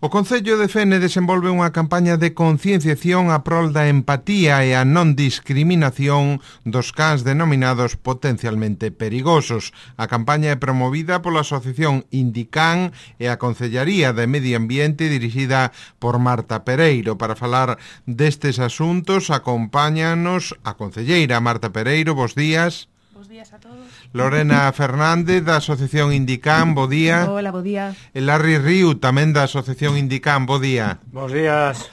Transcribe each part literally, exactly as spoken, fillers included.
O Concello de Fene desenvolve unha campaña de concienciación a prol da empatía e a non discriminación dos cans denominados potencialmente perigosos. A campaña é promovida pola Asociación Indican e a Concellaría de Medio Ambiente dirixida por Marta Pereiro. Para falar destes asuntos acompáñanos a concelleira Marta Pereiro. Bos días. Bos días a todos. Lorena Fernández, da Asociación Indican, bo día. Hola, bo día. E Larry Riu, tamén da Asociación Indican, bo día. Bos días.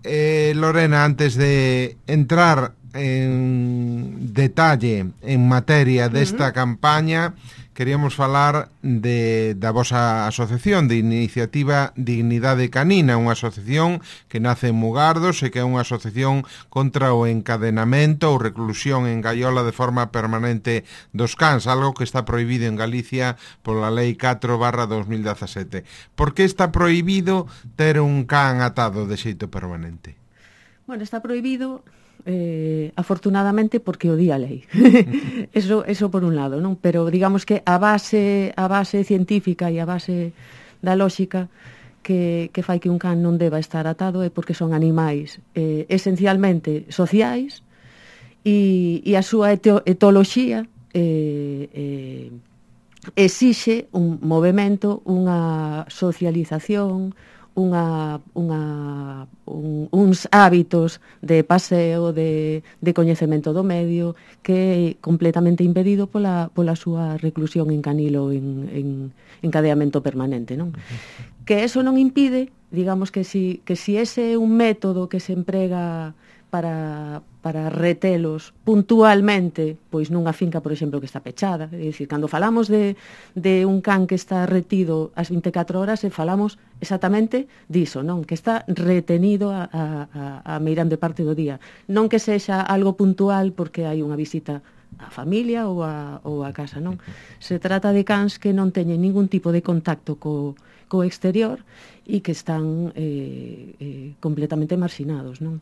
Eh, Lorena, antes de entrar en detalle en materia desta uh-huh. campaña, queríamos falar de, da vosa asociación de Iniciativa Dignidade Canina, unha asociación que nace en Mugardos e que é unha asociación contra o encadenamento ou reclusión en gaiola de forma permanente dos cans, algo que está prohibido en Galicia pola Lei catro barra dos mil dezasete. Por que está prohibido ter un can atado de xeito permanente? Bueno, está prohibido... Eh, afortunadamente porque o di a lei. eso, eso por un lado, non? Pero digamos que a base a base científica e a base da lóxica que, que fai que un can non deba estar atado é porque son animais eh, esencialmente sociais e, e a súa eto, etoloxía eh, eh, exixe un movimento, unha socialización, Unha, unha, un, uns hábitos de paseo, de, de coñecemento do medio, que é completamente impedido pola, pola súa reclusión en canilo en, en encadeamento permanente, non? Uh-huh. Que eso non impide, digamos que si, que si ese é un método que se emprega para, para retelos puntualmente, pois nunha finca, por exemplo, que está pechada. É dicir, cando falamos de, de un can que está retido as vinte e catro horas, e falamos exactamente diso, non? Que está retenido a, a, a meirande parte do día. Non que sexa algo puntual porque hai unha visita a familia ou a, ou a casa, non? Se trata de cans que non teñen ningún tipo de contacto co, co exterior e que están eh, eh, completamente marxinados, non?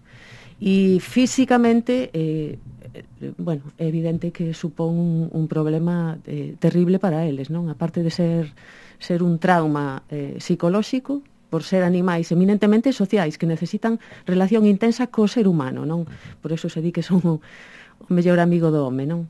E físicamente, eh, eh, bueno, é evidente que supón un, un problema eh, terrible para eles, non? A parte de ser, ser un trauma eh, psicolóxico, por ser animais eminentemente sociais que necesitan relación intensa co ser humano, non? Por eso se di que son o, o mellor amigo do home, non?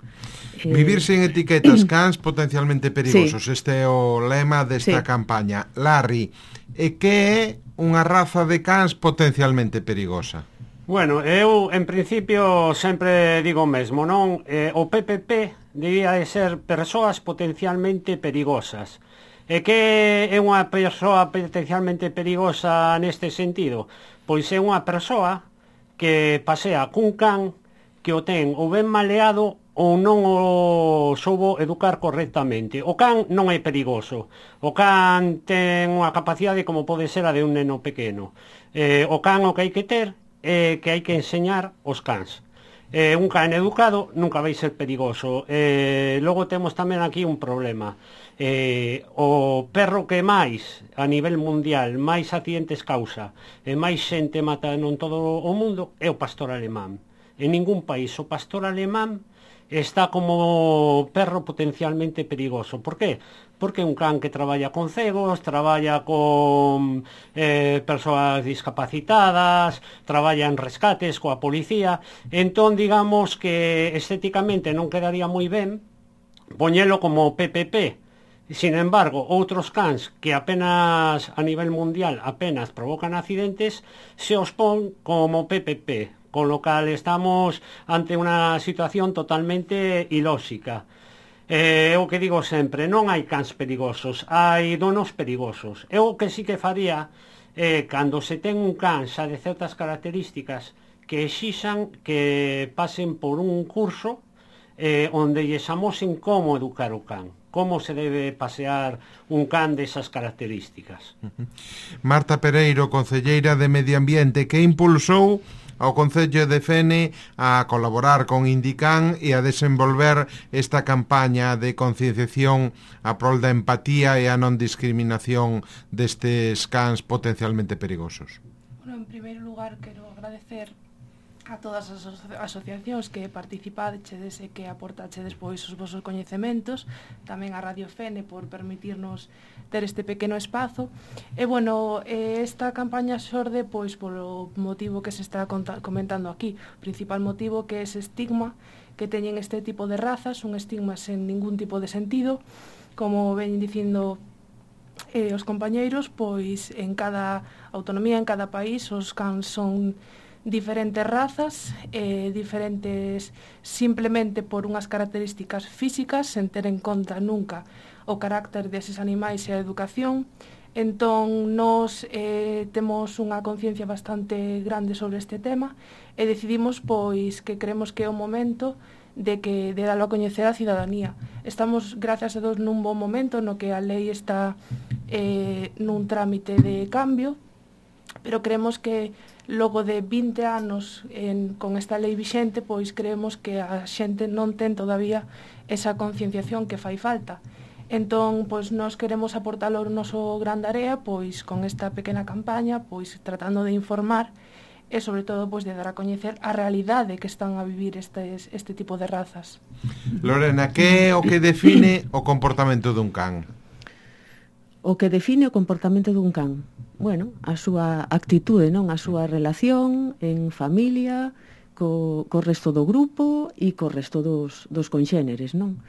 Eh... Vivir sin etiquetas, cans potencialmente perigosos. Sí. Este é o lema desta sí. campaña. Larry, e que é unha raza de cans potencialmente perigosa? Bueno, eu, en principio, sempre digo o mesmo, non? Eh, o P P P debía de ser persoas potencialmente perigosas. E que é unha persoa potencialmente perigosa neste sentido? Pois é unha persoa que pasea cun can que o ten ou ben maleado ou non o soubo educar correctamente. O can non é perigoso. O can ten unha capacidade como pode ser a de un neno pequeno. Eh, o can o que hai que ter é que hai que enseñar os cans. Eh, un can educado nunca vai ser perigoso. Eh, logo temos tamén aquí un problema. Eh, o perro que máis a nivel mundial máis accidentes causa e máis xente mata en todo o mundo é o pastor alemán. En ningún país o pastor alemán está como perro potencialmente perigoso. Por qué? Porque é un can que traballa con cegos, traballa con eh, persoas discapacitadas, traballa en rescates coa policía. Entón, digamos que estéticamente non quedaría moi ben poñelo como P P P. Sin embargo, outros cans que apenas a nivel mundial apenas provocan accidentes se os pon como P P P, con lo cal estamos ante unha situación totalmente ilóxica. É eh, o que digo sempre, non hai cans perigosos, hai donos perigosos. É o que sí que faría eh, cando se ten un can xa de certas características que exixan que pasen por un curso eh, onde lles amosen como educar o can, como se debe pasear un can desas características. Marta Pereiro, concelleira de Medio Ambiente, que impulsou ao Concello de Fene a colaborar con Indican e a desenvolver esta campaña de concienciación a prol da empatía e a non discriminación destes cans potencialmente perigosos. Bueno, en primeiro lugar, quero agradecer a todas as aso asociacións que participachedes e que aportachedes pois os vosos coñecementos, tamén a Radio Fene por permitirnos ter este pequeno espazo. E bueno, esta campaña xorde pois polo motivo que se está comentando aquí, o principal motivo que é ese estigma que teñen este tipo de razas, un estigma sen ningún tipo de sentido, como ven dicindo eh, os compañeiros, pois en cada autonomía, en cada país, os cans son diferentes razas, eh, diferentes simplemente por unhas características físicas, sen ter en conta nunca o carácter deses animais e a educación. Entón, nos eh, temos unha conciencia bastante grande sobre este tema e decidimos pois que creemos que é o momento de que de dalo a coñecer a cidadanía. Estamos, gracias a Deus, nun bon momento no que a lei está eh, nun trámite de cambio, pero creemos que logo de vinte anos en, con esta lei vixente, pois creemos que a xente non ten todavía esa concienciación que fai falta. Entón, pois nós queremos aportar o noso gran area, pois con esta pequena campaña, pois tratando de informar e sobre todo pois de dar a coñecer a realidade que están a vivir estes, este tipo de razas. Lorena, que é o que define o comportamento dun can? O que define o comportamento dun can? Bueno, a súa actitude, non? A súa relación en familia, co, co resto do grupo e co resto dos, dos conxéneres, non?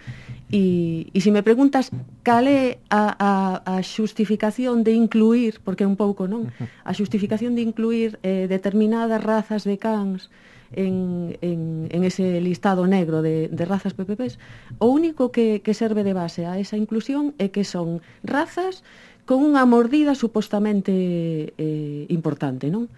E, e se me preguntas cal é a, a, a xustificación de incluir, porque é un pouco, non? A xustificación de incluir eh, determinadas razas de cans en, en, en ese listado negro de, de razas P P Ps, o único que, que serve de base a esa inclusión é que son razas con unha mordida supostamente eh, importante, non?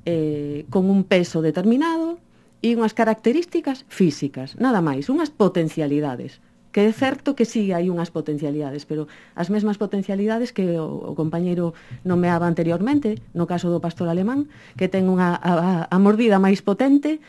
Eh, con un peso determinado e unhas características físicas, nada máis, unhas potencialidades. Que é certo que sí hai unhas potencialidades, pero as mesmas potencialidades que o, o compañeiro nomeaba anteriormente, no caso do pastor alemán, que ten unha a, a mordida máis potente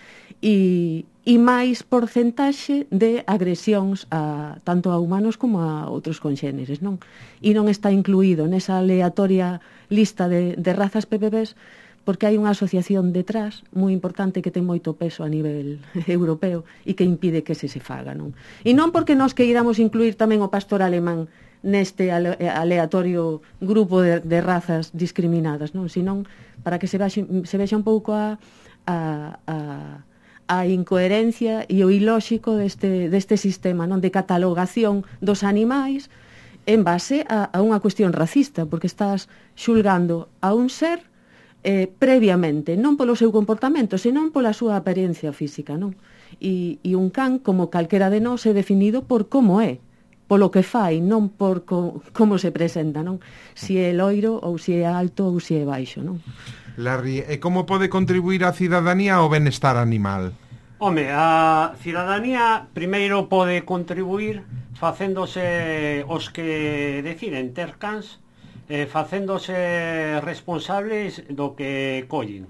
e, e máis porcentaxe de agresións a, tanto a humanos como a outros conxéneres, non? E non está incluído nesa aleatoria lista de, de razas P P Ps porque hai unha asociación detrás moi importante que ten moito peso a nivel europeo e que impide que se se faga, non? E non porque nós queiramos incluir tamén o pastor alemán neste aleatorio grupo de, de razas discriminadas, non? Senón para que se vexa, se vexa un pouco a, a, a, a incoherencia e o ilóxico deste, deste sistema, non? De catalogación dos animais en base a, a unha cuestión racista, porque estás xulgando a un ser Eh, previamente, non polo seu comportamento, senón pola súa apariencia física, non? E, e un can, como calquera de nós, é definido por como é, polo que fai, non por co, como se presenta, non? Si é loiro, ou si é alto, ou si é baixo, non? Larry, e como pode contribuir a cidadanía ao benestar animal? Home, a cidadanía primeiro pode contribuir facéndose os que deciden ter cans, Eh, facéndose responsables do que collen.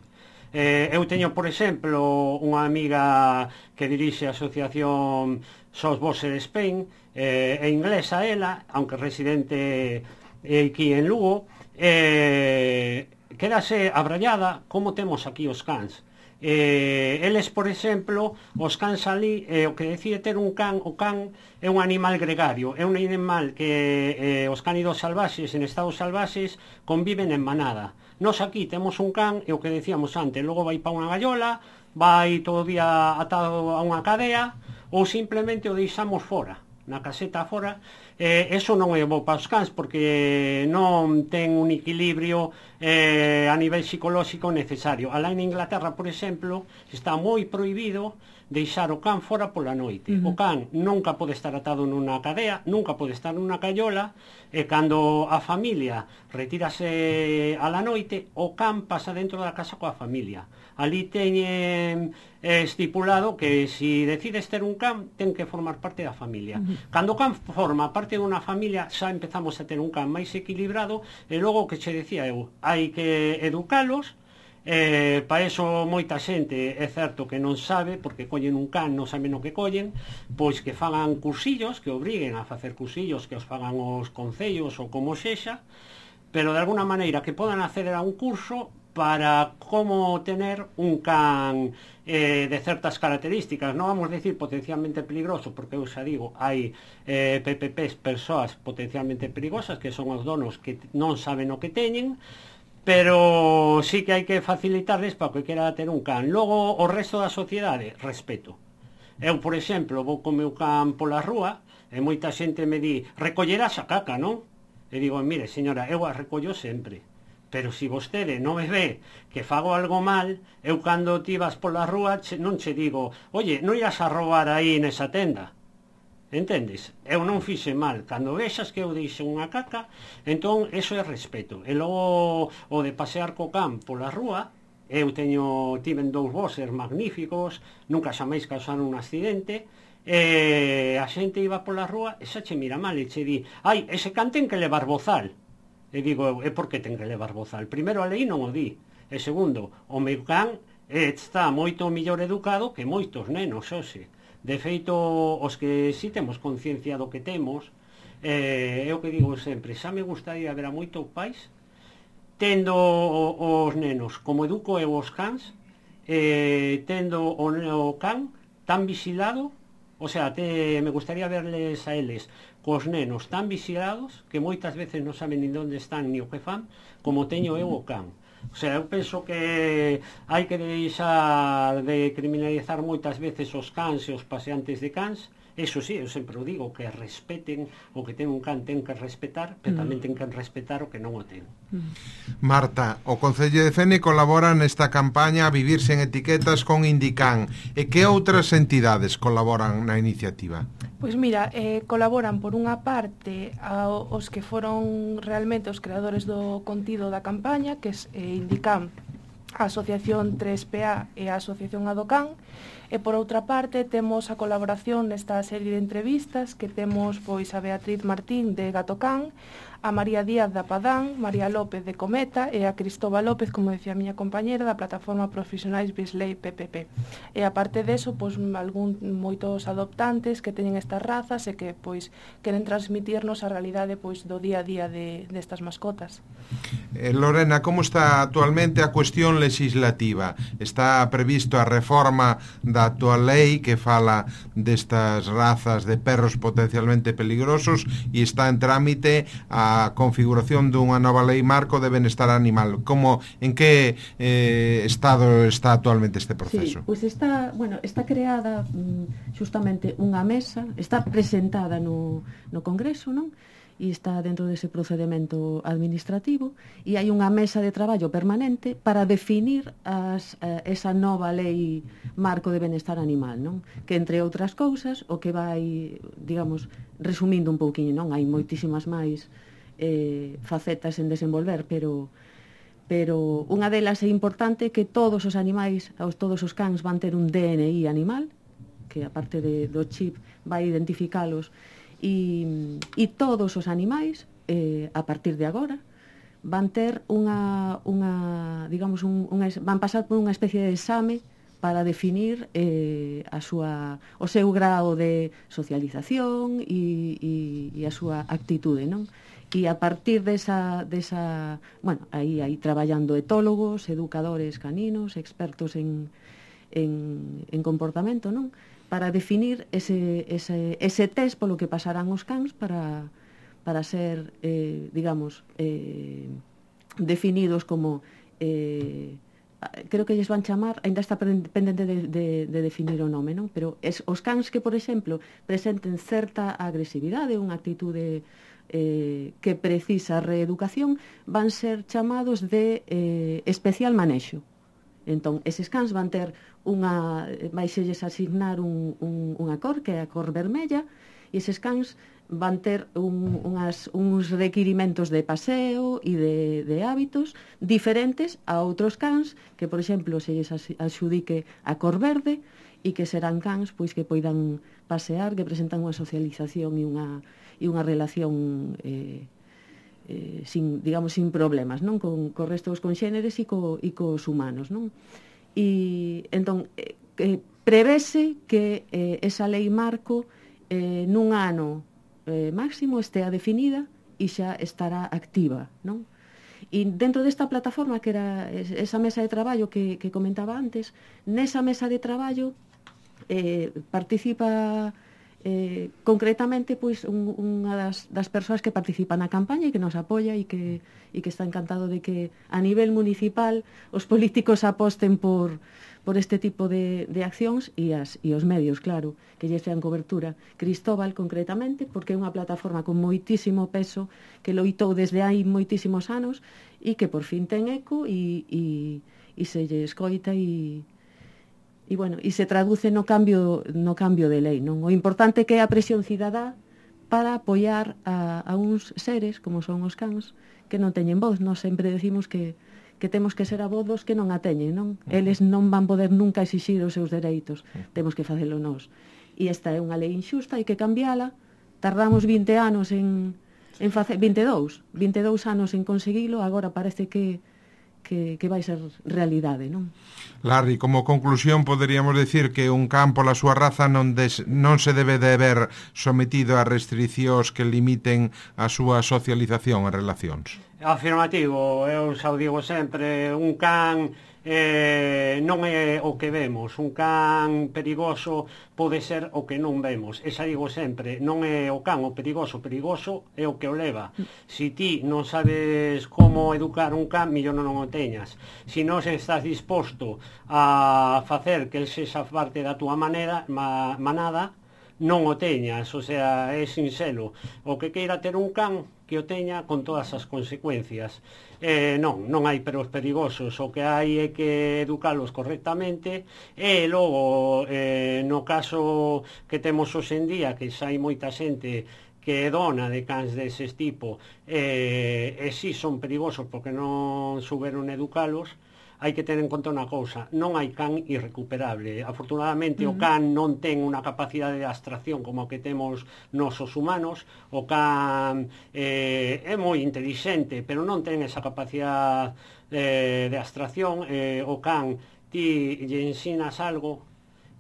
Eh, eu teño, por exemplo, unha amiga que dirixe a asociación Sos Bosser Spain, eh, é inglesa ela, aunque residente aquí en Lugo, eh, quedase abrallada como temos aquí os cans. Eh, eles, por exemplo, os cans ali, eh, o que decide ter un can, o can é un animal gregario, é un animal que eh, os cánidos salvaxes, en estados salvaxes, conviven en manada. Nos aquí temos un can, e o que decíamos antes, logo vai pa unha gallola, vai todo o día atado a unha cadea, ou simplemente o deixamos fora, na caseta fora. Eh, eso non é bo para os cans, porque non ten un equilibrio eh, a nivel psicolóxico necesario. Alá en Inglaterra, por exemplo, está moi prohibido deixar o can fora pola noite. Uh-huh. O can nunca pode estar atado nunha cadea, nunca pode estar nunha caiola, e cando a familia retírase a la noite, o can pasa dentro da casa coa familia. Ali teñen estipulado que se si decides ter un can, ten que formar parte da familia. Uh-huh. Cando o can forma parte dunha familia, xa empezamos a ter un can máis equilibrado, e logo o que che decía eu, hai que educalos. Eh, para eso moita xente é certo que non sabe, porque collen un can, non saben o que collen, pois que fagan cursillos, que obriguen a facer cursillos, que os fagan os concellos ou como sexa, pero de alguna maneira que podan acceder a un curso para como tener un can eh, de certas características. Non vamos a decir potencialmente peligroso, porque eu xa digo, hai eh, P P Ps, persoas potencialmente perigosas, que son os donos que non saben o que teñen, pero sí que hai que facilitarles para que quera ter un can. Logo, o resto da sociedade, respeto. Eu, por exemplo, vou co meu can pola rúa, e moita xente me di, recollerás a caca, non? E digo, mire, señora, eu a recollo sempre. Pero se si vostede non me ve que fago algo mal, eu cando ti vas pola rúa che, non che digo, oye, non ias a roubar aí nesa tenda. Entendes? Eu non fixe mal. Cando vexas que eu deixo unha caca, entón, eso é respeto. E logo, o de pasear co can pola rúa, eu teño, tiven dous boxers magníficos, nunca xa máis causaron un accidente, e a xente iba pola rúa e xa che mira mal e che di, ai, ese can ten que levar bozal. E digo eu, e por que ten que levar bozal? Primeiro, a lei non o di. E segundo, o meu can está moito mellor educado que moitos nenos, hoxe. De feito, os que si temos conciencia do que temos, eh, é o que digo sempre, xa me gustaría ver a moitos pais tendo os nenos como educo eu os cans, eh, tendo o, o can tan vigilado, o sea, te, me gustaría verles a eles cos nenos tan vigilados que moitas veces non saben ni onde están ni o que fan, como teño eu o can. O sea, eu penso que hai que deixar de criminalizar moitas veces os cans e os paseantes de cans. Eso sí, eu sempre o digo, que respeten o que ten un can, ten que respetar, pero tamén ten que respetar o que non o ten. Marta, o Concello de Fene colabora nesta campaña a vivir sen etiquetas con Indican. E que outras entidades colaboran na iniciativa? Pois mira, eh, colaboran por unha parte ao, os que foron realmente os creadores do contido da campaña, que é eh, Indican, a Asociación tres P A e a Asociación Adocan, e por outra parte temos a colaboración nesta serie de entrevistas que temos pois a Beatriz Martín de Gatocán, a María Díaz da Padán, María López de Cometa e a Cristóbal López, como decía a miña compañera, da plataforma Profesionais Bisley P P P. E aparte deso, pois algún moitos adoptantes que teñen estas razas e que pois queren transmitirnos a realidade pois do día a día de destas mascotas. Eh, Lorena, como está actualmente a cuestión legislativa? Está previsto a reforma da actual lei que fala destas razas de perros potencialmente peligrosos e está en trámite a a configuración dunha nova lei marco de benestar animal. Como, en que eh, estado está actualmente este proceso? Sí, pois pues está, bueno, está creada justamente unha mesa, está presentada no, no Congreso, non? E está dentro dese procedimento administrativo e hai unha mesa de traballo permanente para definir as, eh, esa nova lei marco de benestar animal, non? Que entre outras cousas o que vai, digamos, resumindo un pouquiño, non? Hai moitísimas máis eh, facetas en desenvolver, pero pero unha delas é importante que todos os animais, os, todos os cans van ter un D N I animal, que aparte de, do chip vai identificalos. E, e todos os animais, eh, a partir de agora, van ter unha, unha digamos, un, unha, van pasar por unha especie de exame para definir eh, a súa, o seu grado de socialización e, e, e a súa actitude, non? E a partir desa, desa bueno, aí, aí traballando etólogos, educadores caninos, expertos en, en, en comportamento, non? Para definir ese, ese, ese test polo que pasarán os cans para, para ser, eh, digamos, eh, definidos como, eh, creo que lles van chamar, ainda está pendente de, de, de definir o nome, non? Pero es, os cans que, por exemplo, presenten certa agresividade, unha actitude eh, que precisa reeducación, van ser chamados de eh, especial manexo. Entón, eses cans van ter unha, vai selles asignar un, un, unha cor, que é a cor vermella, e eses cans van ter un, unhas, uns requirimentos de paseo e de, de hábitos diferentes a outros cans que, por exemplo, se lles axudique a cor verde e que serán cans pois que poidan pasear, que presentan unha socialización e unha, e unha relación eh, eh, sin, digamos, sin problemas, non? Con, co resto dos conxéneres e, co, e cos humanos, non? E, entón, eh, eh, prevese que eh, esa lei marco eh, nun ano eh, máximo estea definida e xa estará activa, non? E dentro desta plataforma, que era esa mesa de traballo que, que comentaba antes, nesa mesa de traballo eh, participa eh, concretamente pois un, unha das, das persoas que participa na campaña e que nos apoia e que, e que está encantado de que a nivel municipal os políticos aposten por, por este tipo de, de accións e, as, e os medios, claro, que lle sean cobertura. Cristóbal, concretamente, porque é unha plataforma con moitísimo peso que loitou desde hai moitísimos anos e que por fin ten eco e, e, e se lle escoita e E, bueno, e se traduce no cambio, no cambio de lei, non? O importante que é a presión cidadá para apoiar a, a uns seres, como son os cans, que non teñen voz. Nós sempre decimos que, que temos que ser a voz dos que non a teñen, non? Eles non van poder nunca exixir os seus dereitos. Temos que facelo nós. E esta é unha lei injusta, hai que cambiala. Tardamos vinte anos en, en facer... vinte e dous. vinte e dous anos en conseguilo, agora parece que Que, que vai ser realidade, non? Larry, como conclusión poderíamos decir que un can pola súa raza non, des, non se debe de ver sometido a restriccións que limiten a súa socialización e relacións. Afirmativo, eu xa o digo sempre, un can eh, non é o que vemos, un can perigoso pode ser o que non vemos, esa digo sempre, non é o can o perigoso, perigoso é o que o leva. Si ti non sabes como educar un can, millón non o teñas. Si non estás disposto a facer que el sexa parte da túa manera, ma, manada, non o teñas, o sea, é sinxelo. O que queira ter un can, que o teña con todas as consecuencias. Eh, non, non hai perros perigosos, o que hai é que educalos correctamente e logo, eh, no caso que temos hoxe en día, que xa hai moita xente que é dona de cans deses tipo, eh, e si son perigosos porque non souberon educalos, hai que ter en conta unha cousa, non hai can irrecuperable. Afortunadamente uh -huh. o can non ten unha capacidade de abstracción como que temos nós os humanos, o can eh, é moi intelixente, pero non ten esa capacidade eh, de abstracción, eh, o can ti lle ensinas algo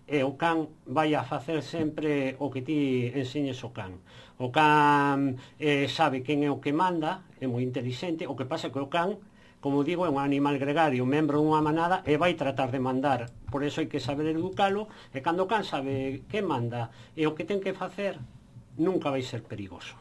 e o can vai a facer sempre o que ti enseñes o can. O can eh, sabe quen é o que manda, é moi intelixente, o que pasa é que o can, como digo, é un animal gregario, membro dunha manada e vai tratar de mandar. Por eso hai que saber educalo e cando o can sabe que manda e o que ten que facer, nunca vai ser perigoso.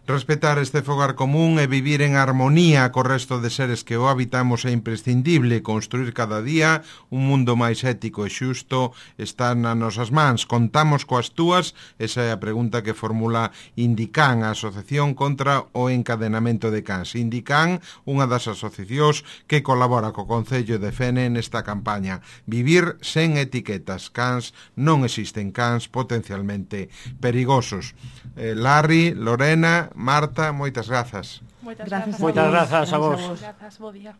Respetar este fogar común e vivir en armonía co resto de seres que o habitamos é imprescindible. Construir cada día un mundo máis ético e xusto está nas nosas mans. Contamos coas túas? Esa é a pregunta que formula Indican, a Asociación contra o Encadenamento de Cans. Indican, unha das asociacións que colabora co Concello de Fene nesta campaña. Vivir sen etiquetas. Cans non existen, cans potencialmente perigosos. Eh, Larry, Lorena, Marta, moitas grazas. Moitas Grazas grazas. Moitas grazas a vos. Grazas, bo día.